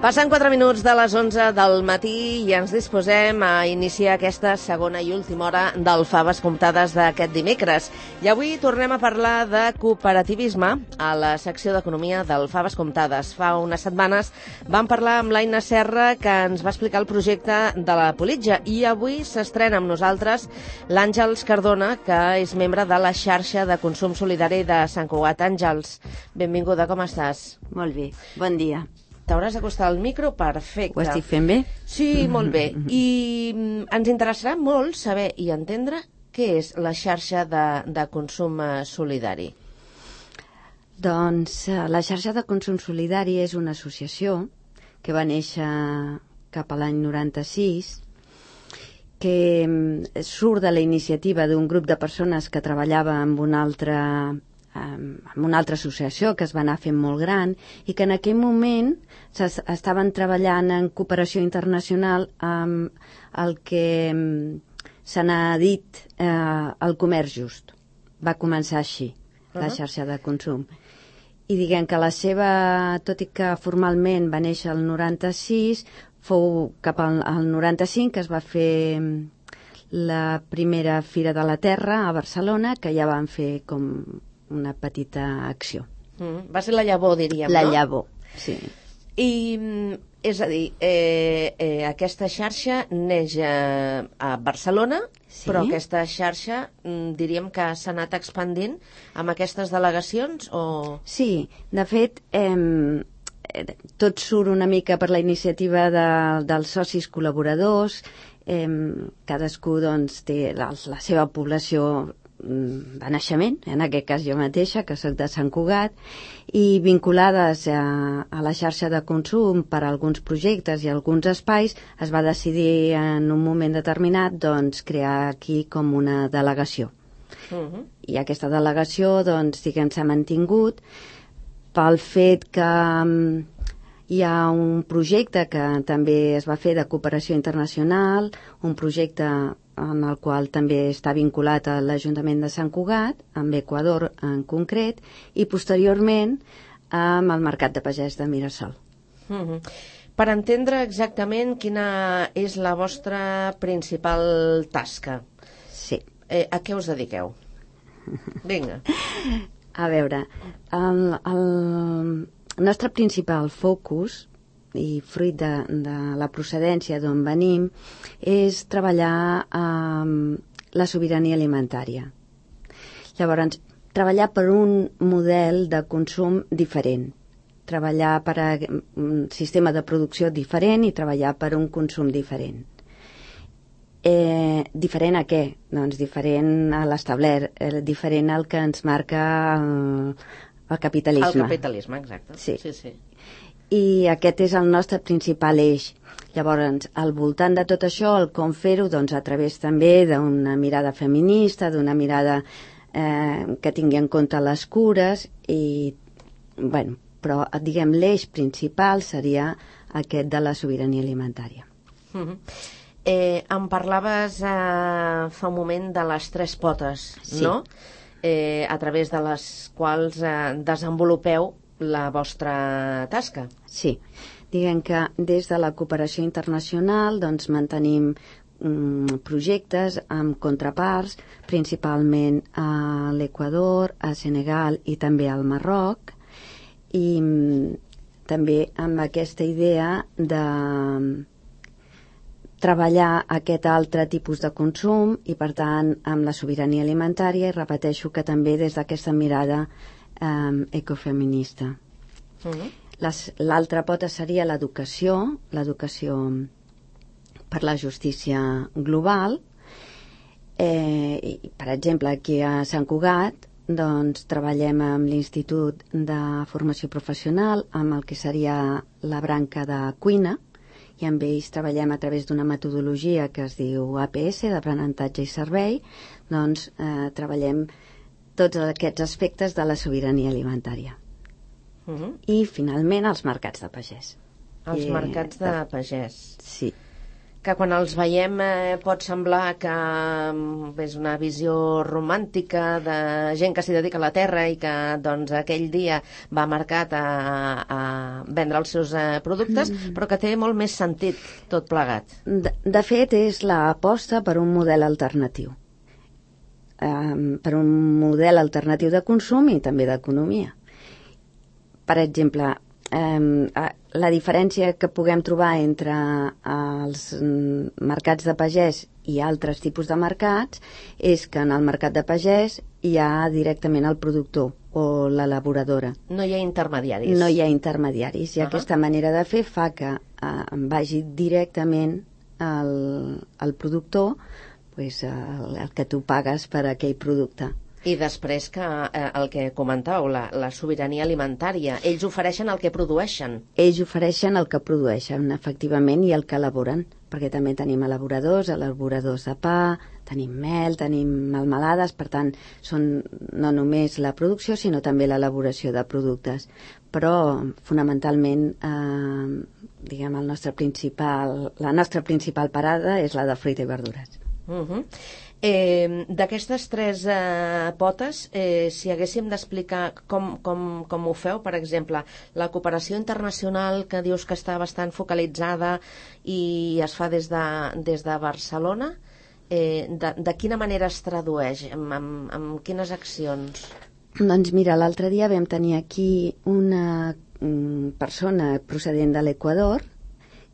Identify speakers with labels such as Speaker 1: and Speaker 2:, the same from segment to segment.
Speaker 1: Passen 4 minuts de les 11 del matí i ens disposem a iniciar aquesta segona i última hora del Faves Comptades d'aquest dimecres. I avui tornem a parlar de cooperativisme a la secció d'Economia del Faves Comptades. Fa unes setmanes vam parlar amb l'Aina Serra, que ens va explicar el projecte de la Politja, i avui s'estrena amb nosaltres l'Àngels Cardona, que és membre de la xarxa de consum solidari de Sant Cugat. Àngels, benvinguda, com estàs?
Speaker 2: Molt bé, bon dia.
Speaker 1: T'hauràs d'acostar al micro, perfecte.
Speaker 2: Ho estic fent bé?
Speaker 1: Sí, molt bé. I ens interessarà molt saber i entendre què és la xarxa de consum solidari.
Speaker 2: Doncs la xarxa de consum solidari és una associació que va néixer cap a l'any 96, que surt de la iniciativa d'un grup de persones que treballava amb una altra associació que es va anar fent molt gran i que en aquell moment estaven treballant en cooperació internacional amb el que se n'ha dit el comerç just. Va començar així, la xarxa de consum. I diguem que la seva, tot i que formalment va néixer el 96, fou cap al 95 que es va fer la primera Fira de la Terra a Barcelona, que ja van fer com una petita acció.
Speaker 1: Va ser la llavor, diríem,
Speaker 2: la
Speaker 1: no?
Speaker 2: La llavor, sí.
Speaker 1: I, és a dir, aquesta xarxa neix a Barcelona, sí. Però aquesta xarxa diríem que s'ha anat expandint amb aquestes delegacions? O...
Speaker 2: Sí, de fet, tot surt una mica per la iniciativa dels socis col·laboradors, cadascú doncs, té la seva població de naixement, en aquest cas jo mateixa, que soc de Sant Cugat, i vinculades a la xarxa de consum per a alguns projectes i alguns espais, es va decidir en un moment determinat doncs, crear aquí com una delegació. I aquesta delegació, doncs, diguem, s'ha mantingut pel fet que hi ha un projecte que també es va fer de cooperació internacional, un projecte en el qual també està vinculat a l'Ajuntament de Sant Cugat, amb Equador en concret, i posteriorment amb el Mercat de Pagès de Mirasol.
Speaker 1: Per entendre exactament quina és la vostra principal tasca,
Speaker 2: sí.
Speaker 1: A què us dediqueu? Vinga.
Speaker 2: A veure, el nostre principal focus, i fruit de la procedència d'on venim, és treballar amb la sobirania alimentària. Llavors, treballar per un model de consum diferent, treballar per un sistema de producció diferent i treballar per un consum diferent. Diferent a què? Doncs diferent a l'establert, diferent al que ens marca el capitalisme.
Speaker 1: El capitalisme, exacte.
Speaker 2: Sí.
Speaker 1: Sí, sí.
Speaker 2: I aquest és el nostre principal eix. Llavors, al voltant de tot això, el com fer-ho, doncs, a través també d'una mirada feminista, d'una mirada que tingui en compte les cures, i, bueno, però, diguem, l'eix principal seria aquest de la sobirania alimentària.
Speaker 1: Em parlaves fa un moment de les 3 potes, sí. No? A través de les quals desenvolupeu la vostra tasca.
Speaker 2: Sí, diguem que des de la cooperació internacional doncs mantenim projectes amb contraparts, principalment a l'Equador, a Senegal i també al Marroc, i també amb aquesta idea de treballar aquest altre tipus de consum i, per tant, amb la sobirania alimentària, i repeteixo que també des d'aquesta mirada ecofeminista. L'altra pota seria l'educació per la justícia global. Per exemple, aquí a Sant Cugat doncs treballem amb l'Institut de Formació Professional, amb el que seria la branca de cuina, i amb ells treballem a través d'una metodologia que es diu APS, d'aprenentatge i servei. Doncs treballem tots aquests aspectes de la sobirania alimentària. I, finalment, els mercats de pagès.
Speaker 1: Els mercats de pagès.
Speaker 2: Sí.
Speaker 1: Que quan els veiem pot semblar que és una visió romàntica de gent que s'hi dedica a la terra i que doncs aquell dia va a mercat a vendre els seus productes, però que té molt més sentit tot plegat.
Speaker 2: De fet, és l'aposta per un model alternatiu. Per un model alternatiu de consum i també d'economia. Per exemple, la diferència que puguem trobar entre els mercats de pagès i altres tipus de mercats és que en el mercat de pagès hi ha directament el productor o l'elaboradora.
Speaker 1: No hi ha intermediaris.
Speaker 2: No hi ha intermediaris, i aquesta manera de fer fa que vagi directament al productor, pues, el que tu pagues per aquell producte.
Speaker 1: I després que el que comentàveu, la sobirania alimentària, ells ofereixen el que produeixen.
Speaker 2: Ells ofereixen el que produeixen, efectivament, i el que elaboren, perquè també tenim elaboradors de pa, tenim mel, tenim melmelades, per tant, són no només la producció, sinó també l'elaboració de productes. Però, fonamentalment, diguem, la nostra principal parada és la de fruita i verdures.
Speaker 1: D'aquestes tres potes, si haguéssim d'explicar com ho feu, per exemple, la cooperació internacional, que dius que està bastant focalitzada i es fa des de Barcelona, de quina manera es tradueix? Amb quines accions?
Speaker 2: Doncs mira, l'altre dia vam tenir aquí una persona procedent de l'Equador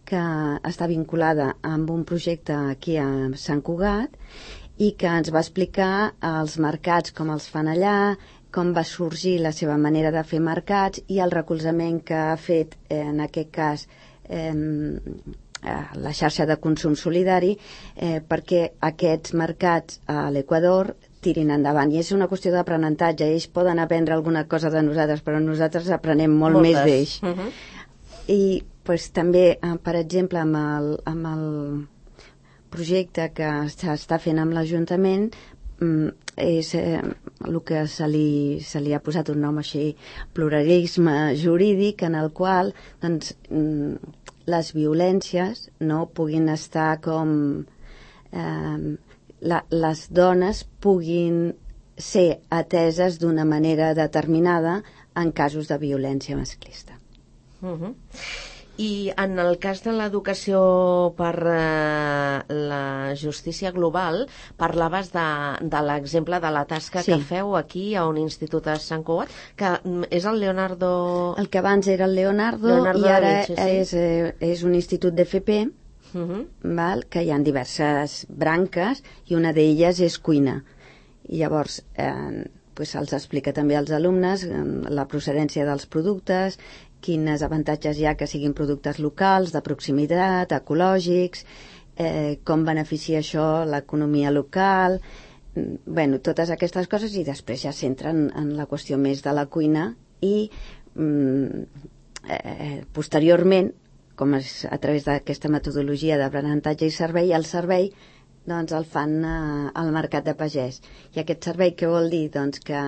Speaker 2: que està vinculada amb un projecte aquí a Sant Cugat i que ens va explicar els mercats, com els fan allà, com va sorgir la seva manera de fer mercats i el recolzament que ha fet, en aquest cas, la xarxa de consum solidari, perquè aquests mercats a l'Equador tirin endavant. I és una qüestió d'aprenentatge. Ells poden aprendre alguna cosa de nosaltres, però nosaltres aprenem molt més d'ells. I pues, també, per exemple, amb el projecte que s'està fent amb l'Ajuntament, és el que se li ha posat un nom així, pluralisme jurídic, en el qual doncs, les violències no puguin estar com... les dones puguin ser ateses d'una manera determinada en casos de violència masclista.
Speaker 1: I en el cas de l'educació per la justícia global, parlaves de l'exemple de la tasca que feu aquí a un institut a Sant Cugat, que és el Leonardo...
Speaker 2: El que abans era el Leonardo i ara és un institut d'FP, que hi ha diverses branques i una d'elles és cuina. I llavors se'ls explica també als alumnes la procedència dels productes, quins avantatges hi ha que siguin productes locals, de proximitat, ecològics, com beneficia això l'economia local, totes aquestes coses, i després ja s'entren en la qüestió més de la cuina i posteriorment, com és a través d'aquesta metodologia d'aprenentatge i servei, el servei doncs, el fan al mercat de pagès. I aquest servei què vol dir? Doncs que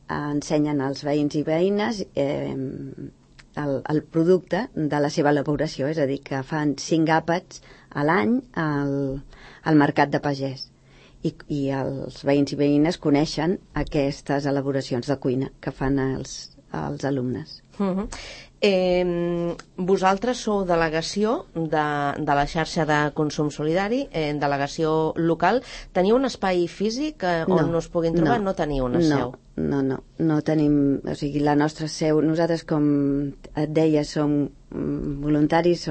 Speaker 2: ensenyen als veïns i veïnes el producte de la seva elaboració, és a dir, que fan 5 àpats a l'any al mercat de pagès. I els veïns i veïnes coneixen aquestes elaboracions de cuina que fan els alumnes.
Speaker 1: Vosaltres sou delegació de la xarxa de consum solidari, delegació local. Teniu un espai físic on us puguin trobar? No teniu una seu?
Speaker 2: No tenim, o sigui, la nostra seu, nosaltres, com et deia, som voluntaris,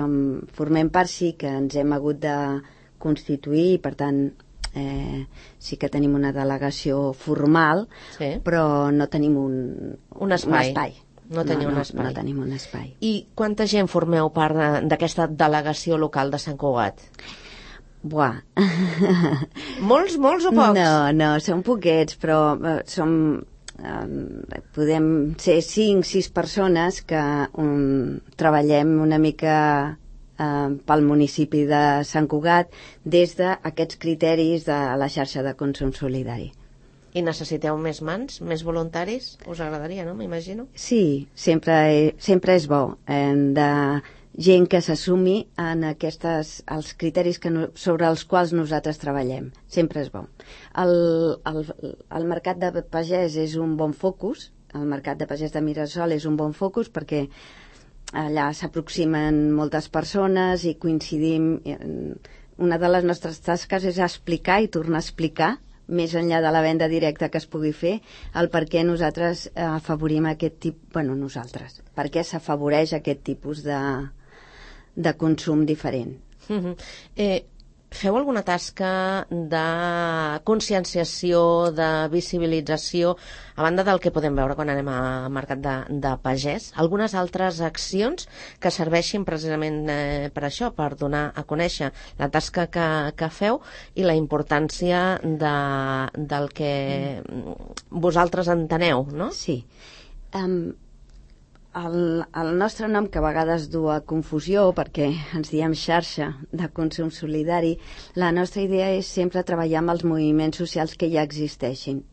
Speaker 2: formem part, sí que ens hem hagut de constituir, per tant, sí que tenim una delegació formal, sí, però no tenim un espai.
Speaker 1: No teniu un espai.
Speaker 2: No tenim un espai.
Speaker 1: I quanta gent formeu part d'aquesta delegació local de Sant Cugat?
Speaker 2: Buah.
Speaker 1: Molts o pocs?
Speaker 2: No, són poquets, però podem ser 5-6 persones que treballem una mica pel municipi de Sant Cugat des d'aquests criteris de la xarxa de consum solidari.
Speaker 1: I necessiteu més mans, més voluntaris? Us agradaria, no? M'imagino.
Speaker 2: Sí, sempre és bo de gent que s'assumi en els criteris sobre els quals nosaltres treballem. Sempre és bo. El mercat de pagès és un bon focus, el mercat de pagès de Mirasol és un bon focus perquè allà s'aproximen moltes persones i coincidim. Una de les nostres tasques és explicar i tornar a explicar, més enllà de la venda directa que es pugui fer, el per què nosaltres afavorim aquest tipus, per què s'afavoreix aquest tipus de consum diferent.
Speaker 1: Feu alguna tasca de conscienciació, de visibilització, a banda del que podem veure quan anem al mercat de pagès? Algunes altres accions que serveixin precisament per això, per donar a conèixer la tasca que feu i la importància del que vosaltres enteneu, no?
Speaker 2: Sí. El nostre nom, que a vegades du a confusió perquè ens diem xarxa de consum solidari, la nostra idea és sempre treballar amb els moviments socials que ja existeixin.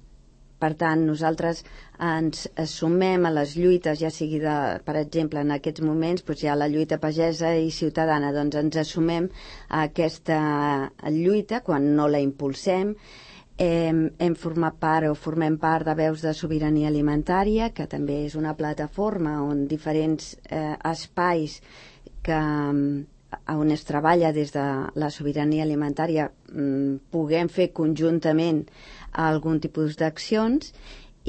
Speaker 2: Per tant, nosaltres ens sumem a les lluites, ja sigui, per exemple, en aquests moments hi ha la lluita pagesa i ciutadana, doncs ens assumem a aquesta lluita quan no la impulsem. Hem format part o formem part de Veus de Sobirania Alimentària, que també és una plataforma on diferents espais on es treballa des de la sobirania alimentària puguem fer conjuntament algun tipus d'accions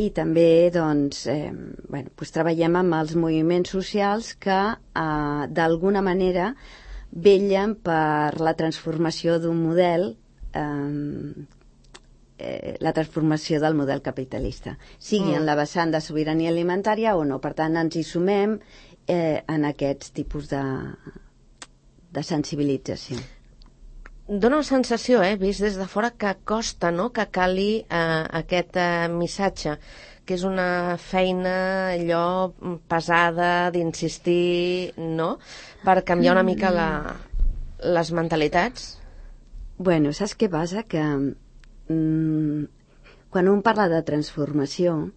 Speaker 2: i també treballem amb els moviments socials que d'alguna manera vetllen per la transformació d'un model la transformació del model capitalista, sigui en la vessant de sobirania alimentària o no. Per tant, ens hi sumem en aquests tipus de sensibilització.
Speaker 1: Dóna la sensació, vist des de fora, que costa, no?, que cali aquest missatge, que és una feina allò pesada d'insistir, no?, per canviar una mica les mentalitats.
Speaker 2: Bueno, saps què passa? Que quan un parla de transformació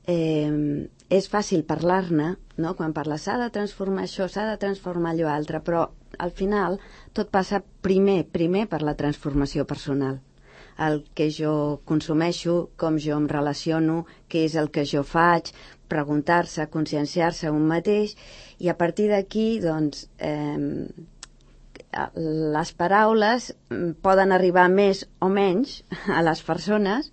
Speaker 2: és fàcil parlar-ne, no? Quan parla s'ha de transformar això, s'ha de transformar allò altre, però al final tot passa primer per la transformació personal, el que jo consumeixo, com jo em relaciono, què és el que jo faig, preguntar-se, conscienciar-se un mateix, i a partir d'aquí doncs les paraules poden arribar més o menys a les persones,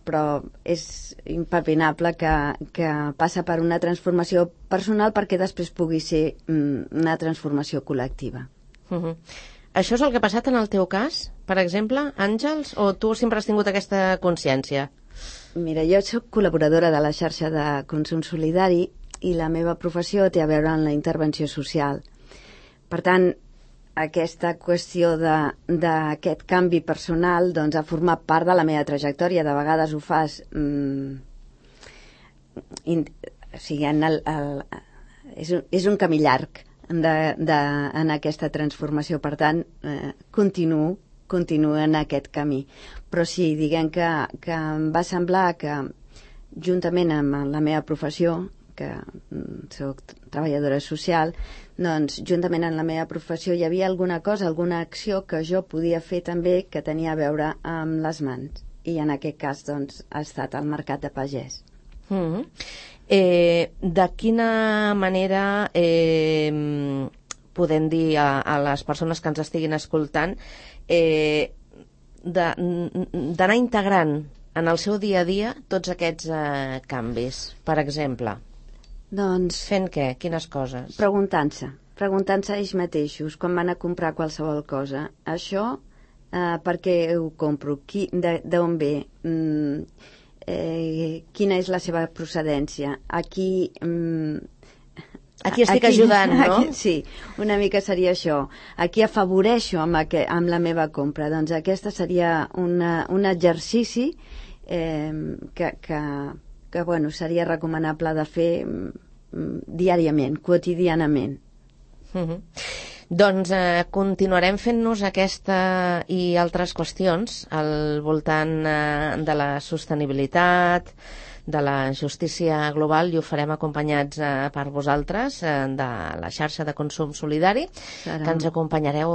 Speaker 2: però és impepinable que passa per una transformació personal perquè després pugui ser una transformació col·lectiva.
Speaker 1: Això és el que ha passat en el teu cas, per exemple, Àngels, o tu sempre has tingut aquesta consciència?
Speaker 2: Mira, jo soc col·laboradora de la xarxa de consum solidari i la meva professió té a veure amb la intervenció social. Per tant, aquesta qüestió d'aquest canvi personal doncs, ha format part de la meva trajectòria. De vegades ho fas... és un camí llarg en aquesta transformació. Per tant, continuo en aquest camí. Però sí, diguem que em va semblar que, juntament amb la meva professió, que soc treballadora social, doncs juntament amb la meva professió hi havia alguna cosa, alguna acció que jo podia fer també que tenia a veure amb les mans. I en aquest cas doncs ha estat el mercat de pagès.
Speaker 1: De quina manera podem dir a les persones que ens estiguin escoltant d'anar integrant en el seu dia a dia tots aquests canvis, per exemple?
Speaker 2: Doncs...
Speaker 1: Fent què? Quines coses?
Speaker 2: Preguntant-se a ells mateixos quan van a comprar qualsevol cosa. Això, per què ho compro? D'on ve? Quina és la seva procedència? Aquí
Speaker 1: estic ajudant, no?
Speaker 2: Sí, una mica seria això. Aquí afavoreixo amb la meva compra. Doncs aquesta seria un exercici que bueno, seria recomanable de fer diàriament, quotidianament.
Speaker 1: Doncs continuarem fent-nos aquesta i altres qüestions al voltant de la sostenibilitat, de la justícia global, i ho farem acompanyats per vosaltres de la xarxa de consum solidari, que ens acompanyareu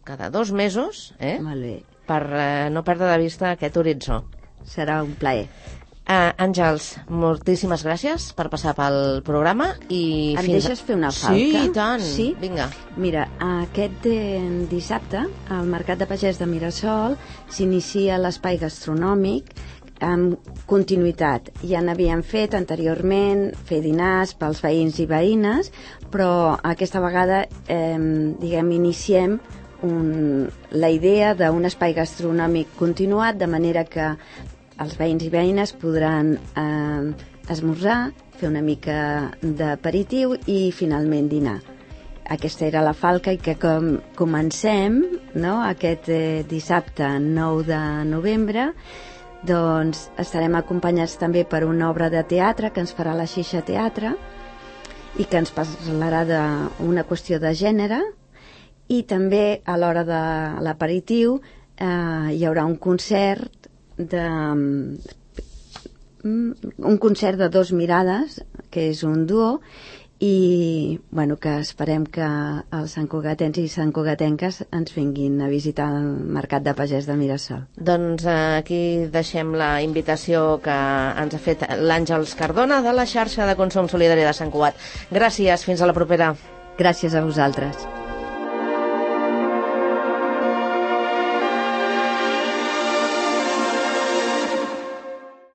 Speaker 1: cada 2 mesos,
Speaker 2: Molt bé.
Speaker 1: per no perdre de vista aquest horitzó.
Speaker 2: Serà un plaer.
Speaker 1: Àngels, moltíssimes gràcies per passar pel programa.
Speaker 2: Em deixes fer una falca?
Speaker 1: Sí, i tant.
Speaker 2: Sí?
Speaker 1: Vinga.
Speaker 2: Mira, aquest dissabte al Mercat de Pagès de Mirasol s'inicia l'espai gastronòmic amb continuïtat. Ja n'havíem fet anteriorment, fer dinars pels veïns i veïnes, però aquesta vegada iniciem la idea d'un espai gastronòmic continuat, de manera que els veïns i veïnes podran esmorzar, fer una mica d'aperitiu i finalment dinar. Aquesta era la falca, i que comencem, no, aquest dissabte 9 de novembre, doncs estarem acompanyats també per una obra de teatre que ens farà la Xixa Teatre i que ens parlarà d'una qüestió de gènere, i també a l'hora de l'aperitiu hi haurà un concert de 2 mirades, que és un duo, i bueno, que esperem que els santcugatens i santcugatenques ens vinguin a visitar el Mercat de Pagès de Mirasol.
Speaker 1: Doncs aquí deixem la invitació que ens ha fet l'Àngels Cardona de la xarxa de consum solidari de Sant Cugat. Gràcies, fins a la propera.
Speaker 2: Gràcies a vosaltres.